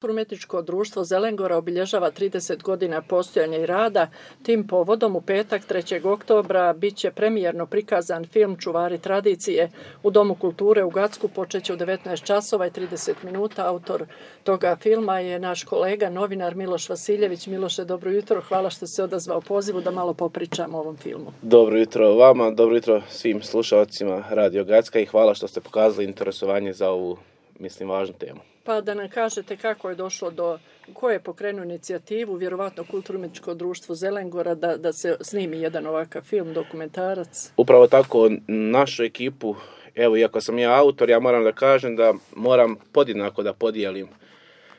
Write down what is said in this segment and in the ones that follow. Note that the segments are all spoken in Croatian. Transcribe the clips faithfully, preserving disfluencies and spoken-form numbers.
Kulturno-umjetničko društvo Zelengora obilježava trideset godina postojanja i rada. Tim povodom u petak trećeg oktobra bit će premijerno prikazan film Čuvari tradicije u Domu kulture u Gacku. Počeće u devetnaest časova i trideset minuta. Autor toga filma je naš kolega, novinar Miloš Vasiljević. Miloše, dobro jutro. Hvala što se odazvao pozivu da malo popričamo o ovom filmu. Dobro jutro vama, dobro jutro svim slušalcima Radio Gacka i hvala što ste pokazali interesovanje za ovu, mislim, važnu temu. Pa da nam kažete kako je došlo do, ko je pokrenuo inicijativu, vjerovatno Kulturno-umjetničko društvo Zelengora, da, da se snimi jedan ovakav film, dokumentarac? Upravo tako, našu ekipu, evo, iako sam ja autor, ja moram da kažem da moram podjednako da podijelim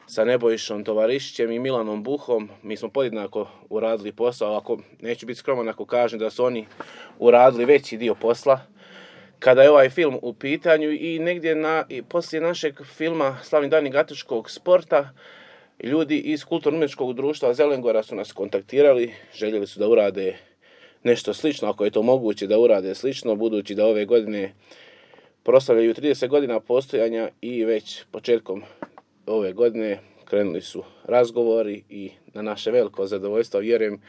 sa Nebojšom Tovarišićem i Milanom Buhom. Mi smo podjednako uradili posao, ako neću biti skroman ako kažem da su oni uradili veći dio posla kada je ovaj film u pitanju i negdje na, i poslije našeg filma Slavni dani gatečkog sporta ljudi iz Kulturno-umjetničkog društva Zelengora su nas kontaktirali, željeli su da urade nešto slično, ako je to moguće da urade slično, budući da ove godine proslavljaju trideset godina postojanja i već početkom ove godine krenuli su razgovori i na naše veliko zadovoljstvo, vjerujem,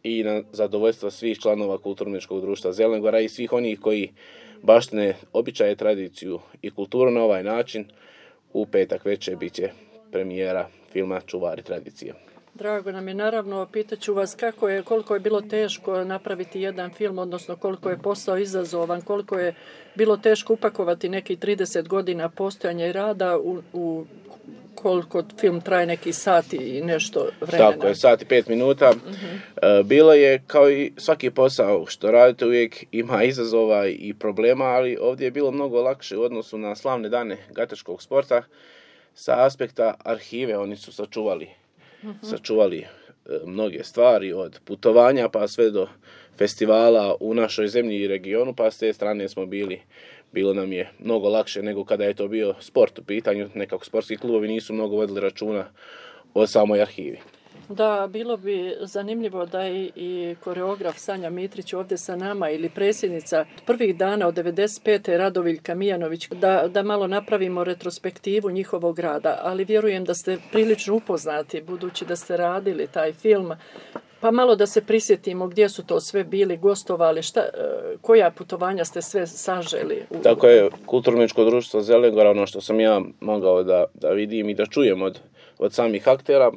i na zadovoljstvo svih članova Kulturno-umjetničkog društva Zelengora i svih onih koji baštine običaje, tradiciju i kulturu na ovaj način. U petak večer bit će premijera filma Čuvari tradicije. Drago nam je, naravno, pitaću vas kako je, koliko je bilo teško napraviti jedan film, odnosno koliko je posao izazovan, koliko je bilo teško upakovati neki trideset godina postojanja i rada u, u koliko film traje neki sat i nešto vremena. Tako je, sat i pet minuta. Uh-huh. Bilo je, kao i svaki posao što radite, uvijek ima izazova i problema, ali ovdje je bilo mnogo lakše u odnosu na slavne dane gatečkog sporta. Sa aspekta arhive oni su sačuvali, uh-huh. sačuvali mnoge stvari, od putovanja pa sve do festivala u našoj zemlji i regionu, pa s te strane smo bili Bilo nam je mnogo lakše nego kada je to bio sport u pitanju. Nekako sportski klubovi nisu mnogo vodili računa o samoj arhivi. Da, bilo bi zanimljivo da i, i koreograf Sanja Mitrić ovdje sa nama ili predsjednica prvih dana od devedeset pete Radoviljka Mijanović, da, da malo napravimo retrospektivu njihovog rada, ali vjerujem da ste prilično upoznati budući da ste radili taj film. Pa malo da se prisjetimo gdje su to sve bili, gostovali, šta, koja putovanja ste sve saželi? U... Tako je, Kulturno-umjetničko društvo Zelengora, ono što sam ja mogao da, da vidim i da čujem od, od samih aktera,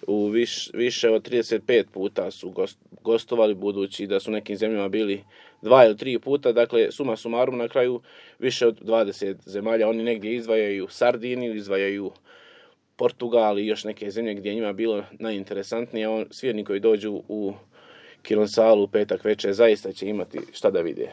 u viš, više od trideset pet puta su gost, gostovali, budući da su nekim zemljama bili dva ili tri puta, dakle suma sumarum na kraju više od dvadeset zemalja. Oni negdje izdvajaju Sardiniju, izdvajaju Portugal i još neke zemlje gdje je njima bilo najinteresantnije. On, svi oni koji dođu u kinosalu u petak večer zaista će imati šta da vide.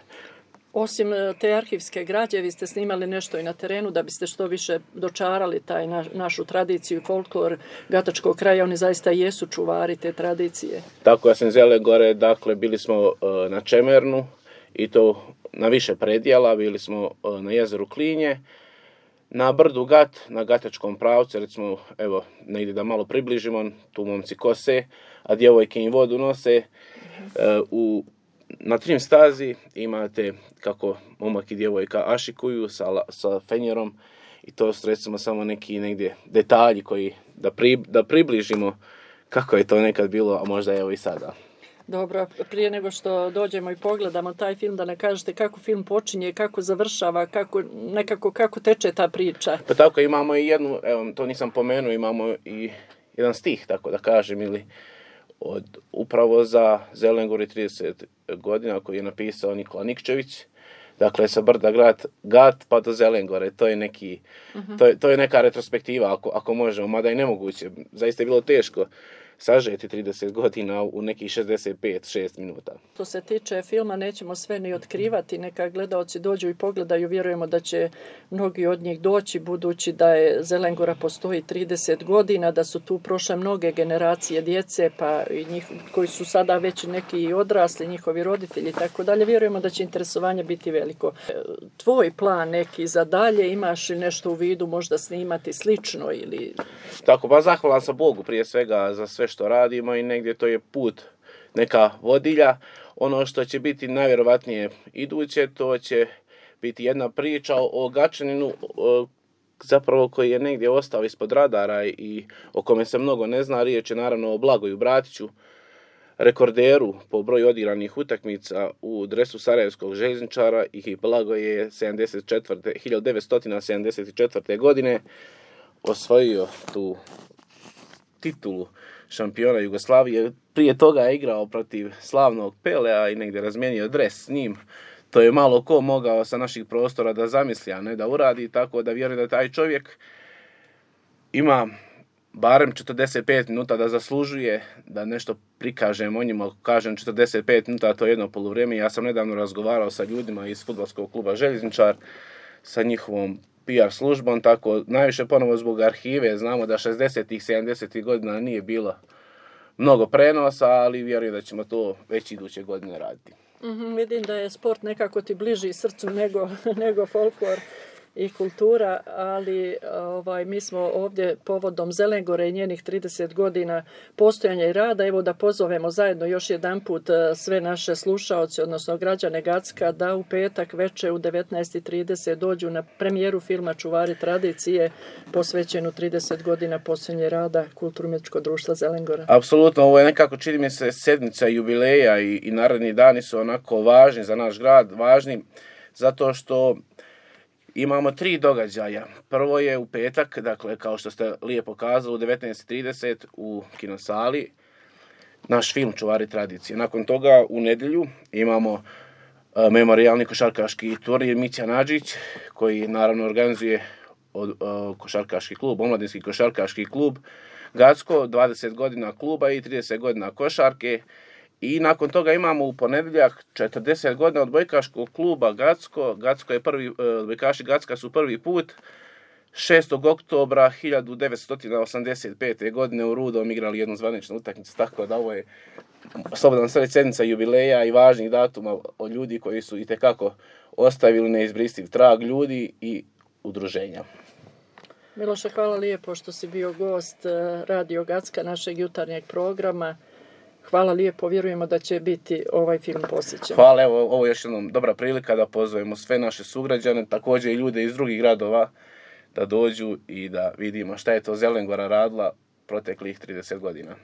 Osim te arhivske građe, vi ste snimali nešto i na terenu da biste što više dočarali taj na, našu tradiciju i folklor gatačkog kraja. Oni zaista jesu čuvari te tradicije. Tako, ja sam Zelengore, dakle bili smo uh, na Čemernu i to na više predjela, bili smo uh, na jezeru Klinje, na brdu Gat, na gatačkom pravcu, recimo, evo, negdje da malo približimo, tu momci kose, a djevojke im vodu nose. Uh, u, na trim stazi imate kako momak i djevojka ašikuju sa, sa fenjerom i to su, recimo, samo neki negdje detalji koji da, pri, da približimo kako je to nekad bilo, a možda evo i sada. Dobro, prije nego što dođemo i pogledamo taj film, da ne kažete kako film počinje, kako završava, kako, nekako kako teče ta priča. Pa tako, imamo i jednu, evo, to nisam pomenuo, imamo i jedan stih, tako da kažem, ili od upravo za Zelengor i trideset godina koji je napisao Nikola Nikčević. Dakle, sa brda Gat, Gat pa do Zelengore, to je neki, uh-huh. to je, to je neka retrospektiva ako, ako možemo, mada i nemoguće. Zaista je bilo teško sažeti trideset godina u nekih šezdeset pet šest minuta. Što se tiče filma, nećemo sve ni otkrivati, neka gledaoci dođu i pogledaju, vjerujemo da će mnogi od njih doći, budući da je Zelengora postoji trideset godina, da su tu prošle mnoge generacije djece, pa i njih, koji su sada već neki odrasli, njihovi roditelji, tako dalje. Vjerujemo da će interesovanje biti veliko. Tvoj plan neki za dalje, imaš li nešto u vidu, možda snimati slično ili... Tako, pa zahvalan sam Bogu prije svega za sve što radimo i negdje to je put, neka vodilja. Ono što će biti najvjerovatnije iduće, to će biti jedna priča o Gačaninu zapravo koji je negdje ostao ispod radara i o kome se mnogo ne zna. Riječ je naravno o Blagoju Bratiću, rekorderu po broju odigranih utakmica u dresu sarajevskog željezničara, i Blago je hiljadu devetsto sedamdeset četvrte. godine osvojio tu titulu šampiona Jugoslavije. Prije toga je igrao protiv slavnog Pelea i negdje razmijenio dres s njim. To je malo ko mogao sa naših prostora da zamisli, a ne da uradi, tako da vjerujem da taj čovjek ima barem četrdeset pet minuta da zaslužuje da nešto prikažem o njima. Kažem četrdeset pet minuta, to je jedno poluvrijeme. Ja sam nedavno razgovarao sa ljudima iz fudbalskog kluba Željezničar, sa njihovom P R službom, tako najviše ponovo zbog arhive. Znamo da šezdesetih, sedamdesetih godina nije bilo mnogo prenosa, ali vjerujem da ćemo to već iduće godine raditi. Mm-hmm, vidim da je sport nekako ti bliži srcu nego, nego folklor i kultura, ali ovaj, mi smo ovdje povodom Zelengore i njenih trideset godina postojanja i rada, evo da pozovemo zajedno još jedan put sve naše slušaoce, odnosno građane Gacka, da u petak večer u devetnaest i trideset dođu na premijeru filma Čuvari tradicije, posvećenu trideset godina postojanja rada Kulturno-umjetničkog društva Zelengora. Apsolutno, ovo je nekako, čini mi se, sedmica jubileja i, i naredni dani su onako važni za naš grad, važni zato što imamo tri događaja. Prvo je u petak, dakle, kao što ste lijepo kazali, u devetnaest i trideset u kinosali, naš film Čuvari tradicije. Nakon toga u nedjelju imamo uh, memorijalni košarkaški turnir Mića Nadžić, koji naravno organizuje od, uh, košarkaški klub, omladinski košarkaški klub Gacko, dvadeset godina kluba i trideset godina košarke. I nakon toga imamo u ponedjeljak četrdeset godina odbojkaškog kluba Gacko. Gacko je prvi, odbojkaši Gacka su prvi put šestog oktobra hiljadu devetsto osamdeset pete. godine u Rudom igrali jednu zvaničnu utakmicu, tako da ovo je slobodan sve sedmica jubileja i važnih datuma od ljudi koji su itekako ostavili neizbrisiv trag, ljudi i udruženja. Miloše, hvala lijepo što si bio gost Radio Gacka, našeg jutarnjeg programa. Hvala lijepo, vjerujemo da će biti ovaj film posjećen. Hvala, evo, ovo je još jednom dobra prilika da pozovemo sve naše sugrađane, također i ljude iz drugih gradova, da dođu i da vidimo šta je to Zelengora radila proteklih trideset godina.